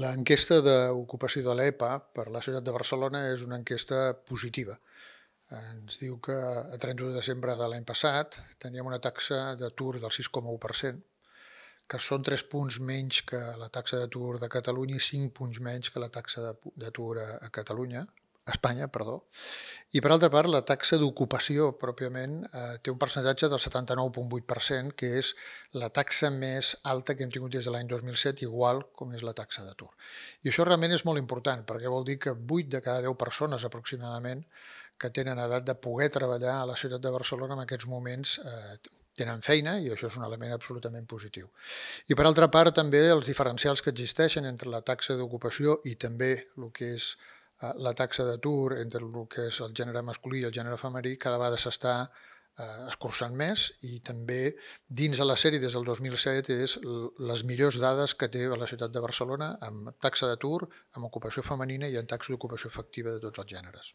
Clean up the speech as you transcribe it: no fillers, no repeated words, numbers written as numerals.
L'enquesta d'ocupació de l'EPA per la ciutat de Barcelona és una enquesta positiva. Ens diu que a 31 de desembre de l'any passat teníem una taxa d'atur del 6,1%, que són 3 punts menys que la taxa d'atur de Catalunya i 5 punts menys que la taxa d'atur a Catalunya, a Espanya, perdó. I per altra part, la taxa d'ocupació pròpiament té un percentatge del 79,8%, que és la taxa més alta que hem tingut des de l'any 2007, igual com és la taxa d'atur. I això realment és molt important, perquè vol dir que 8 de cada 10 persones aproximadament que tenen edat de poder treballar a la ciutat de Barcelona en aquests moments tenen feina, i això és un element absolutament positiu. I per altra part també els diferencials que existeixen entre la taxa d'ocupació i també el que és la taxa d'atur entre el que és el gènere masculí i el gènere femení cada vegada s'està escurçant més, i també dins de la sèrie des del 2007 és les millors dades que té la ciutat de Barcelona amb taxa d'atur, amb ocupació femenina i en taxa d'ocupació efectiva de tots els gèneres.